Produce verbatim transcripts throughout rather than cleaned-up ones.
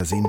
Sinn.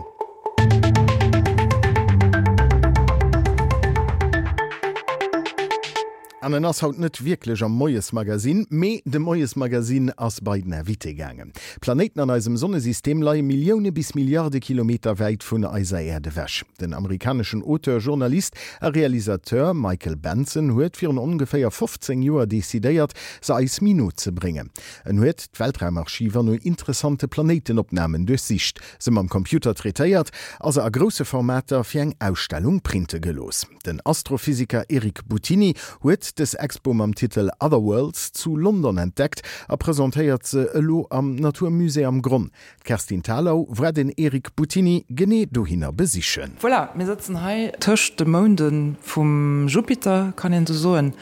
An en ass haut net wierklech am Moiesmagazin, mee de Moiesmagazin ass bei den Invité gaangen. D'Planéiten an eisem Sonnesystem leie Millioune bis Milliarde Kilometer wäit vun eiser Äerd ewech. Den amerikaneschen Auteur, Journalist a Realisateur Michael Benson huet virun ongeféier fofzéng Joer decidéiert, se eis méi no ze bréngen. En huet d'Weltraumarchiver no interessante Planéitenopnamen duerchsicht, se mam Computer traitéiert a se a grousse Formater fir eng Ausstellung printe gelooss. Den Astrophysiker Eric Buttini huet dës Expo mam Titel Other Worlds zu London entdeckt a presentéiert se elo am Natur Musée am Gronn. D'Kerstin Thalau war den Eric Buttini genee dohinner besichen. Voilà, mir sëtzen hei tëscht de Mounde vum Jupiter, kann een esou soen.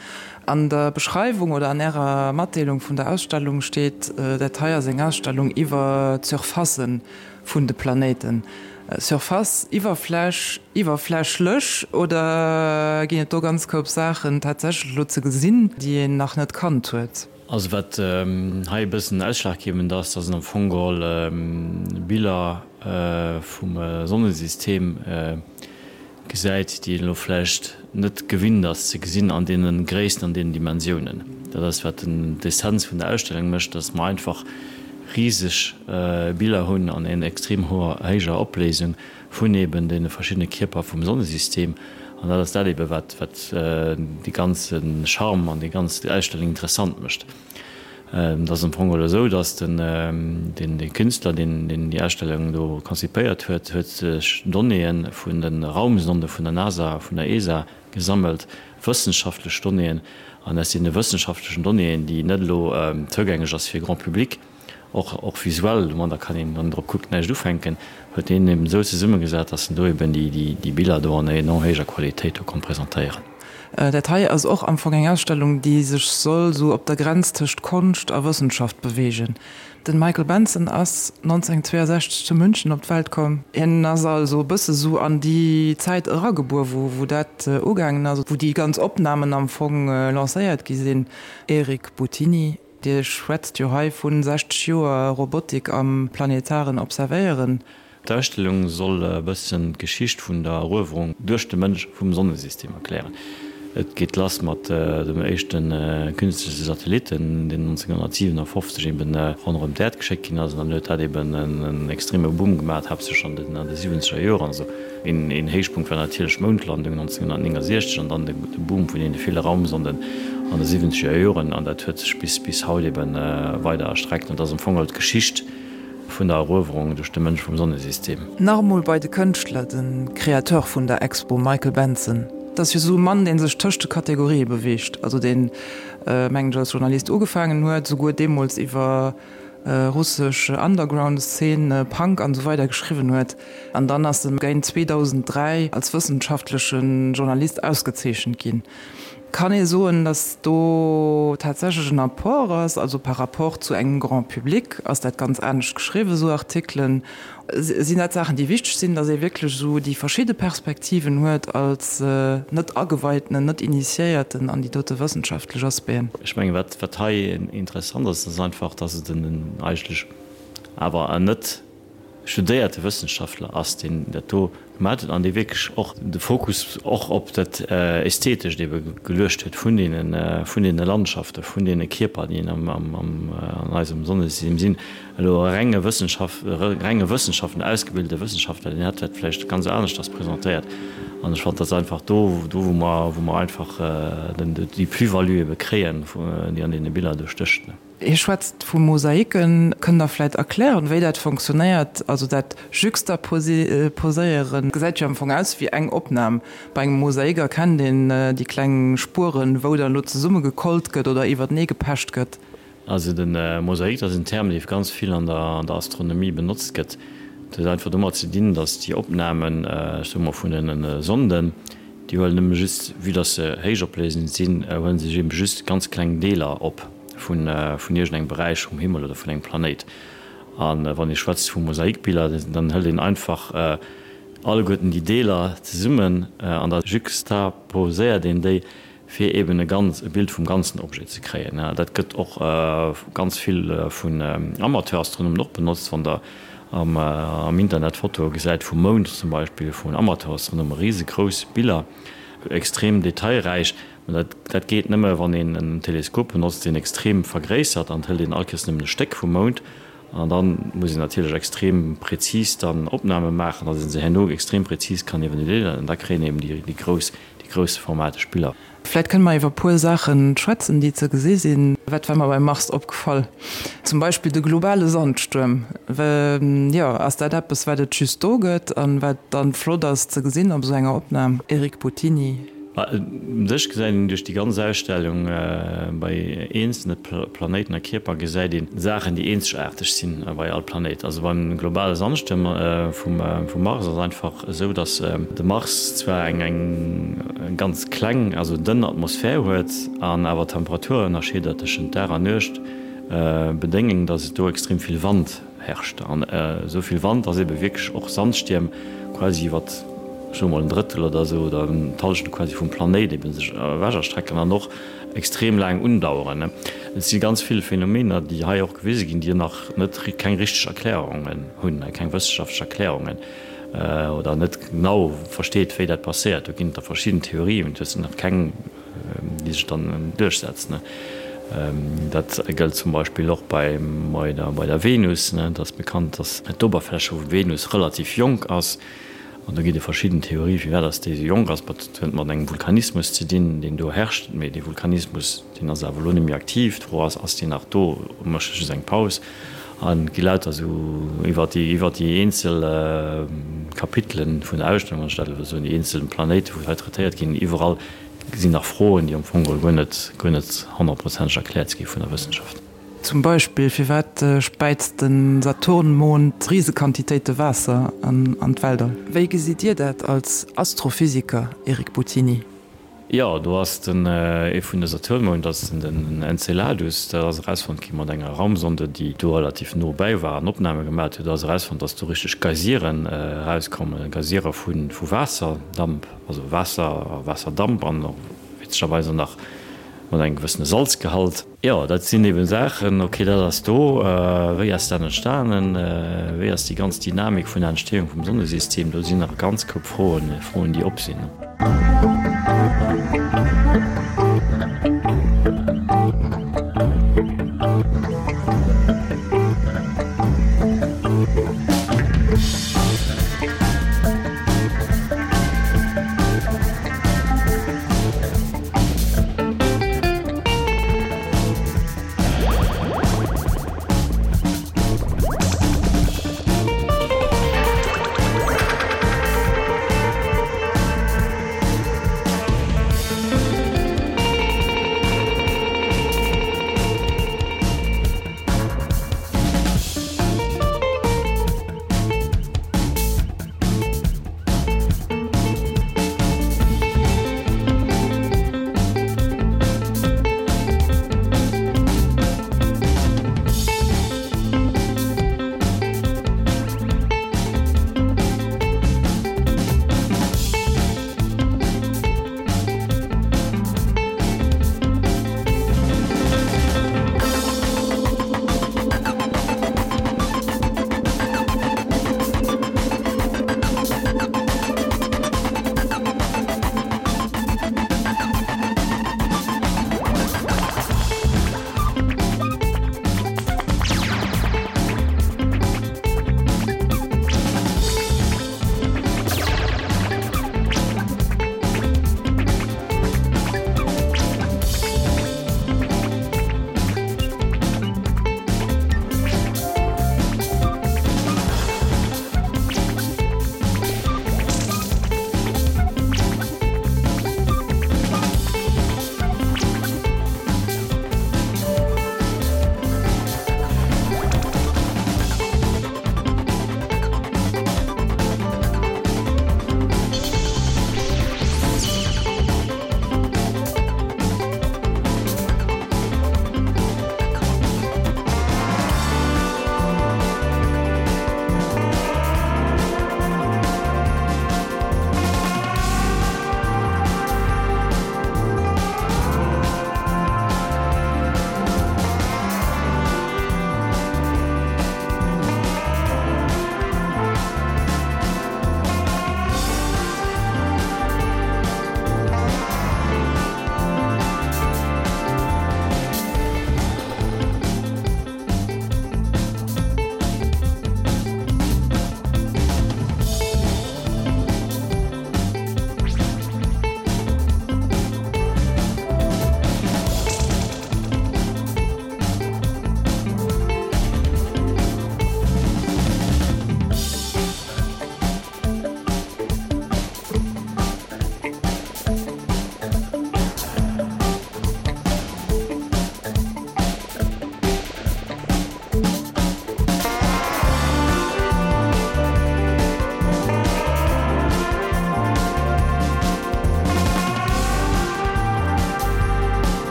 An der Beschreiwung oder an Ärer Matdeelung vun der Ausstellung steet, dat hei ass eng Ausstellung iwwer d'Surfacen vun de Planéiten. Surface, Iwwerfläch, iwwerflächlech, oder ginn et do ganz Koup Saachen tatsächlech elo ze gesinn, déi een nach net kannt huet? Also wat hei e bëssen ausschlaggebend ass, dat sinn am Fong geholl Biller vum Sonnesystem gesäit, déi een elo vläicht net gewinnt ass ze gesinn an deene Gréissten, an deenen Dimensiounen. Dat ass wat d'Essenz vun der Ausstellung mécht, dass mer einfach riseg Biller hunn an en extrem hoher, héijer Opléisung vun eben deene verschiddene Kierper vum Sonnesystem. An dat ass dat eben, wat, wat dee ganze Charme an déi ganz Ausstellung interessant mécht. Et ass am Fong geholl esou, dass den, den, dee Künstler, deen, deen déi Ausstellung do konzipéiert huet, huet sech Donnéeë vun de Raumsonde vun der NASA, vun der ESA gesammelt, wëssenschaftlech Donnéeën. An aus deene wëssenschaftlechen Donnéeën, déi net elo zougänglech ass fir Grand public, och och visuell, domadder kann een, wann een drop kuckt, näischt ufänken, huet hien eben esou zesummegesat, dass en do eben déi déi déi Biller do an enorm héijer Qualitéit do konnt presentéieren. Dat hei ass och am Fong eng Ausstellung, déi sech soll esou op der Grenz tëscht Konscht a Wëssenschaft beweegen. Den Michael Benson ass nonzénhundertzweeasechzeg zu München op d'Welt komm. Hien ass also e bësse sou an déi Zäit eragebuer, wou wou dat ugaangen ass, wou déi ganz Opnamen am Fong lancéiert gi sinn. Eric Buttini. Dir schwätzt jo hei vu sechzeg Joer Robotik am planetaren Observéieren. D'Ausstellung soll e bëssen d'Geschicht vun der Eruewerung duerch de Mënsch vum Sonnesystem erklären. Et geet lass mat dem éischte künstleche Satellitten, deen nonzénhundertsiwenafofzeg eben ronderëm d'Äerd geschéckt ginn ass. An dann huet dat eben en extreme Boom gemaach, haaptsächlech an de siwwenzeger Joren. Een Héichpunkt war natierlech d'Moundlandung nonzénhundertnéngasiechzeg an dann de Boom vun deene ville Raumsonden an de siwwenzeger Joren. An dat huet sech bis bis haut ebe weider erstreckt. An dat ass am Fong geholl d'Geschicht vun der Eruewerung duerch de Mënsch vum Sonnesystem. Nach emol bei de Kënschtler, de Créateur vun der Expo, Michael Benson. Dat ass jo esou e Mann, dee sech tëscht de Kategorië beweegt, also deen, mengen ech, als Journalist ugefaangen huet, souguer deemools iwwer russesch Underground-Szene, Punk an esou weider geschriwwen huet. An dann ass e géint zweedausenddräi als wëssenschaftleche Journalist ausgezeechent ginn. Kann ee soen, datt do tatsächlech en Apport ass? Also par rapport zu engem Grand public ass dat ganz anescht geschriwwen, esou Artikelen. Sinn dat Saachen, déi wichteg sinn, datt ee wierklech esou déi verschidde Perspektiven huet als net Ageweitenen, net Initiéierten an déi dote wëssenschaftlech Aspecten? Ech mengen, wat wat hei interessant ass, ass einfach, datt et en eigentlech awer en net studéierte Wëssenschaftler ass, deen dat do gemaat huet an dee wierklech och de Fokus och op dat Ästhetescht ebe geluecht huet vun deene vun deene Landschaften, vun deene Kierper, déi am am an eisem Sonnesystem sinn. Elo e renge Wëssenschaft, e renge Wëssenschaftler, en ausgebildete Wëssenschaftler, deen hätt dat vläicht ganz aneschters presentéiert. An ech fannen, dat ass einfach do, do wou mer wou mer einfach den déi Plus-value ebe kréien, déi an deene Biller do stécht. Hie schwätzt vu Mosaiken. Kënnt Der vläit erklären, wéi dat fonctionnéiert? Also dat Juxtaposéieren gesäit jo am Fong aus wéi eng Opnam. Bei engem Mosaik erkennt een déi kleng Spueren, wou dann elo zesummegekollt gëtt oder iwwertenee gepecht gëtt. Also de Mosaik, dat ass en Term, dee ganz vill an der Astronomie benotzt gëtt. Dat huet einfach domat ze dinn, datt déi Opnamen, ech soe mol vun den Sonden, déi huelen nëmme just, vue datt se héichopléisend sinn, huele se eben just ganz kleng Deeler op vun iergendengem Beräich vum Himmel oder vun engem Planéit. A wann ee schwätzt vu Mosaikbiller, dann hëlt een einfach alleguerten déi Deeler zesummen an da juxtaposéiert een déi, fir eben e ganz, e Bild vum ganzen Objet ze kréien. Dat gëtt och ganz vill vun Amateurastronomen och benotzt, wann der am, äh, am Internet Fotoe gesäit vum Mound zum Beispill vun Amateurs, dann hu mer risegrouss Biller, extrem detailräich. Mä dat, dat geet nëmme wann een en Teleskop benotzt, deen extrem vergréissert, an hëlt een all Kéiers nëmmen e Stéck vum Mound. An dann muss een natierlech extrem präzis dann Opname maachen, datt ee se herno extrem präzis kann evaluéieren, an da kréien een eben déi, déi grouss, déi groussformateg Biller. Vläit kënne mer iwwer e puer Saache schwätzen, déi ze gesi sinn. Wat war mer beim Mars opgefall? Zum Beispill de globale Sandstuerm. Jo, ass dat eppes, wat et just do gëtt an wat dann flott ass ze gesinn op esou enger Opnam? Eric Buttini. U sech gesäit een duerch déi ganz Ausstellung, bei eenzelne Planéiten a Kierper gesäit een Saachen, déi eenzegaarteg sinn bei all Planéit. Also beim globale Sandstuerm vum Mars ass et einfach esou, datt de Mars zwar eng ganz kleng, also dënn Atmosphär huet an awer Temperaturënnerscheeder tëschent Dag an Nuecht bedéngen, datt et do extrem vill Wand herrscht. An esou vill Wand, datt ebe wierklech och Sandstierm quasi iwwer, ech soe mol en Drëttel oder esou, oder d'Hallschent quasi vum Planéit ebe sech ewech erstrecken an och extrem laang undaueren. Et si ganz vill Phänomener, déi hei och gewise ginn, déi nach net, keng richteg Erklärungen hunn, keng wëssenschaftlech Erklärungen, oder net genau versteet, wéi dat passéiert. Do ginn et da verschidden Theorien, mee et sinn nach keng, déi sech dann duerchsetzen. Dat gëllt zum Beispill och bei der Venus. Et ass bekannt, datt d'Oberfläche vu Venus relativ jonk ass. An do ginn et verschidden Theorie firwat datt déi esou jonk ass. Dat huet mat engem Vulkanismus ze dinn, deen do herrscht. Mee dee Vulkanismus, deen ass awer elo net méi aktiv. D'Fro ass, Ass deen nach do? Mécht e just eng Paus? An et gi lauter esou iwwer déi, iwwer déi eenzel Kapitelen vun der Ausstellung, wann ech dat elo soen, déi eenzel Planéiten, wou hei traitéiert ginn, iwwerall sinn nach Froen, déi am Fong geholl guer net, guer net honnertprozenteg erkläert gi vun der Wëssenschaft. Zum Beispill, firwat späizt de Saturnmond Risequantitéite Waasser an d'Weltall? Wéi gesitt Dir dat als Astrophysiker, Eric Buttini? Jo, do ass den, ee vun de Saturnmound ass den Enceladus. Dat ass erausfonnt gi mat enger Raumsonde, déi do relativ no bäi war an Opname gemat huet. Do ass erausfonnt, datt do richteg Geysiren erauskommen, Geysirer vu Waasserdamp, also Waasser a Waasserdamp an och witzegerweis och nach mat engem gewëssene Salzgehalt. Jo, dat sinn eben Saachen, okay, dat ass do. Wéi ass dat entstanen? Wéi ass déi ganz Dynamik vun der Entstehung vum Sonnesystem? Do sinn nach e ganz Koup Froen, Froen, déi op sinn.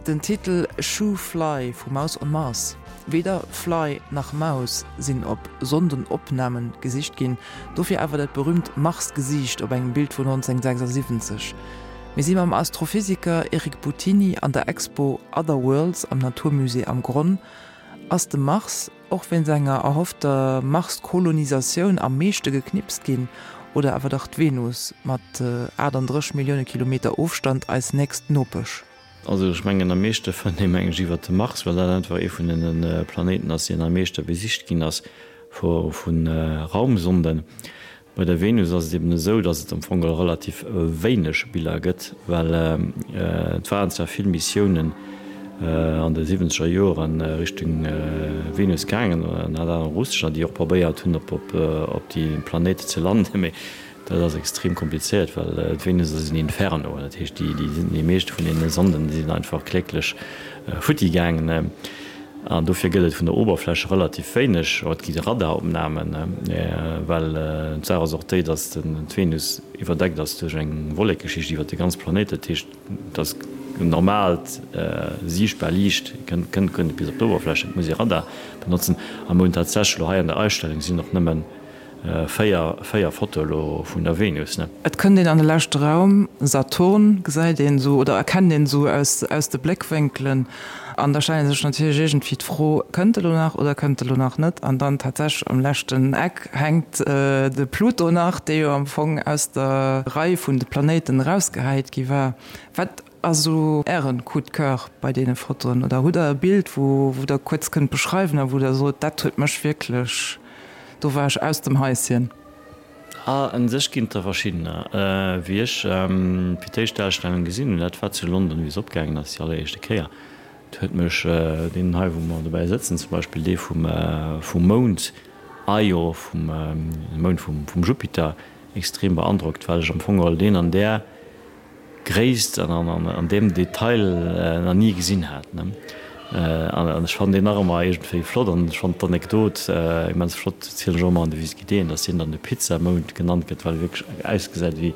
Den Titel Shoo Fly vu Mouse on Mars. Weder Fly nach Maus sinn op Sondenopnamen gesicht ginn, dofir awer dat berüümt Marsgesiicht op engem Bild vun neunzehnhundertsechsundsiwwenzeg. Mir si mam Astrophysiker Eric Buttini an der Expo Other Worlds am Naturmusée am Gronn. Ass de Mars och wéinst enger erhoffter Marskolonisatioun am meeschte geknipst ginn oder awer dach d'Venus mat achtandrësseg Millioune Kilometer Ofstand eis nächst Nopesch? Also ech mengen am meeschte fënnt ee meng ech iwwert de Mars, well dat einfach ee vun den Planéiten ass, deen am meeschte besicht ginn ass vu Raumsonden. Bei der Venus ass et eben esou, datt et am Fong geholl relativ wéineg Biller gëtt, well et waren zwar vill Missiounen an de siwwenzeger Joere Richtung Venus gaangen, ënner anerem russescher, déi och probéiert hunn op op déi Planéit ze landen, mee dat ass extrem komplizéiert, well d'Venus ass en Inferno, dat heescht déi déi meescht vun deene Sonden, déi sinn einfach kläglech futti gaangen. An dofir gëtt et vun der Oberfläche relativ wéineg, et gi Radaropnamen, well d'Saach ass och déi, datt d'Venus iwwerdeckt ass duerch eng Wollekeschicht iwwer de ganz Planéit. Dat heescht, dass normaalt siichtbar Liicht kënnt kënnt net bis op d'Oberfläche, et muss ee Radar benotzen. A mir hunn tatsächlech elo hei an der Ausstellung sinn och nëmmen Véier, véier Fotoe lo vun der Venus, ne? Et kënnt een an de leschte Raum, Saturn gesäit een esou oder erkennt een esou aus, aus de Bléckwénkelen. An da stellt ee sech natierlech iergendwéi d'Fro, Kënnt e lo nach oder kënnt e lo nach net? An dann tatsächlech am leschten Eck hänkt de Pluto nach, dee jo am Fong aus der Rei vun de Planéiten erausgehäit gi war. Wat ass esou Ären Coup de cœur bei deene Fotoen? Oder hutt Der e Bild, wou, wou Der kuerz kënnt beschreiwen a wou Der sot, dat huet mech wierklech. Do war ech aus dem Haischen. Ah, un sech ginn et der verschiddener. Wéi ech fir d'éischt d'Ausstellung gesinn hunn, dat war zu London, wéi se opgaangen ass, déi alleréischte Kéier, do huet mech deen hei, wou mer dobäi sëtzen, zum Beispill dee vum, vum Mound Io, vum Mound vum, vum Jupiter, extrem beandrockt, well ech am Fong geholl deen an där Gréisst an an deem Detail nach ni gesinn hat. An ech fannen deen nach ëmmer iergendwéi flott an ech fannen d'Anekdot immens flott, zielen ech och ëmmer an de Visite-guidéen, dass deen dann de Pizzamound genannt gëtt, well e wierklech ausgesäit wéi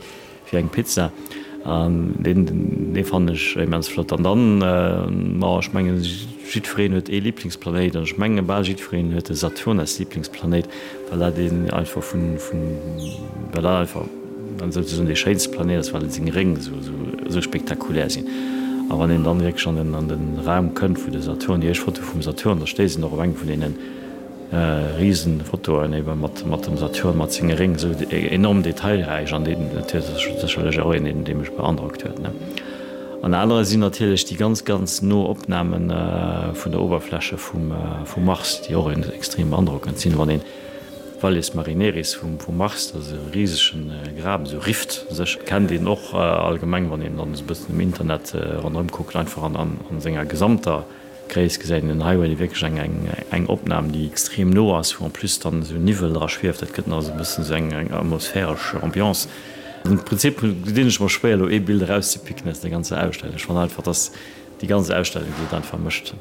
eng Pizza. An deen, dee fannen ech immens flott. An dann, ma ech mengen, jiddwereen huet ee Liblingsplanéit an ech menge bal jiddwereen huet de Saturn als Liblingsplanéit, well dat een einfach vun, vun, well dat einfach an souzesoen dee schéinste Planéit ass, well seng Réng esou spektakulär sinn. A wann een dann wierklech an den an den Raum kënnt, wou de Saturn, déi éischt Foto vum Saturn, da stéisst een och op eng vun deene Risenfotoen ebe mat mat dem Saturn mat senge Réng, esou enorm detailräich an deen natierlech sécherlech och een, deen dee mech beandrockt huet, ne. An anere sinn natierlech déi ganz ganz no Opname vun der Oberfläche vum vum Mars, déi och extrem beandrockend sinn, wann een Valles Marineris vum Mars, dat ass e risegen Graben, esou Rift sech, kennt een och allgemeng, wann een dann esou e bëssen um Internet ronderëm kuckt, einfach an senger gesamter Gréisst gesäit een den. Hei huet ee wierklech eng eng Opnam, déi extrem no ass, wou en plus dann esou Niwwel dra schwieft, dat gëtt nach esou e bëssen esou eng atmosphäresch Ambiance. Am Prinzip dinn ech mer schwéier elo ee Bild erauszepicken aus der ganzer Ausstellung. Ech fannen einfach, dass déi ganz Ausstellung déi et einfach mécht.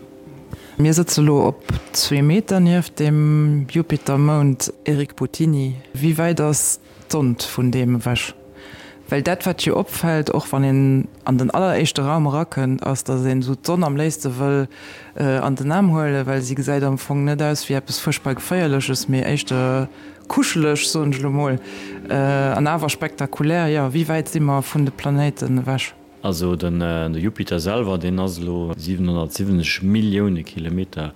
Mir sëtze lo op zwee Meter nieft dem Jupitermound. Eric Buttini, Wéi wäit ass d'Sond vun deem ewech? Well dat wat jo opfält, och wann een an den alleréischte Raum erakënnt, ass, datt een esou d'Sonn am léifste wëll an den Aarm huelen, well si gesäit am Fong net aus wéi eppes fuerchtbar Geféierleches, mee éischter kuscheleg, soen ech elo mol, an awer spektakulär. Jo, wéi wäit si mer vun de Planéiten ewech? Also den Jupiter selwer, deen ass elo siwenhonnertsiwwenzeg Millioune Kilometer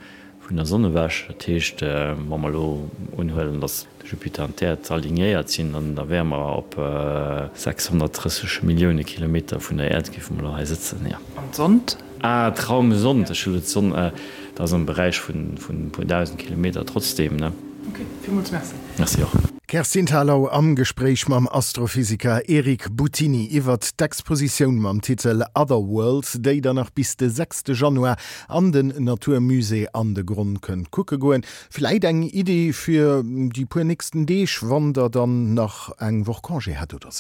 vun der Sonn ewech. Dat heescht, wa mer elo unhuelen, datt de Jupiter an d'Äerd alignéiert sinn, dann da wäre mer op sechshonnertdrësseg Millioune Kilometer vun der Äerd géife mer elo hei sëtzen, jo. An d'Sond? Ah, d'Raumsond, ech hu elo d'Sonn, dat ass am Beräich vun e puer dausend Kilometer trotzdeem, ne? Ok, villmools Merci. Merci och. D'Kerstin Thalau am Gespréich mam Astrophysiker Eric Buttini iwwert d'Expositioun mam Titel Other Worlds, déi der nach bis de sechste Januar an den Natur Musée an de Gronn kënnt kucke goen. Vläit eng Iddi fir déi puer nächsten Deeg, wann der dann nach eng Woch Congé hätt oder sou.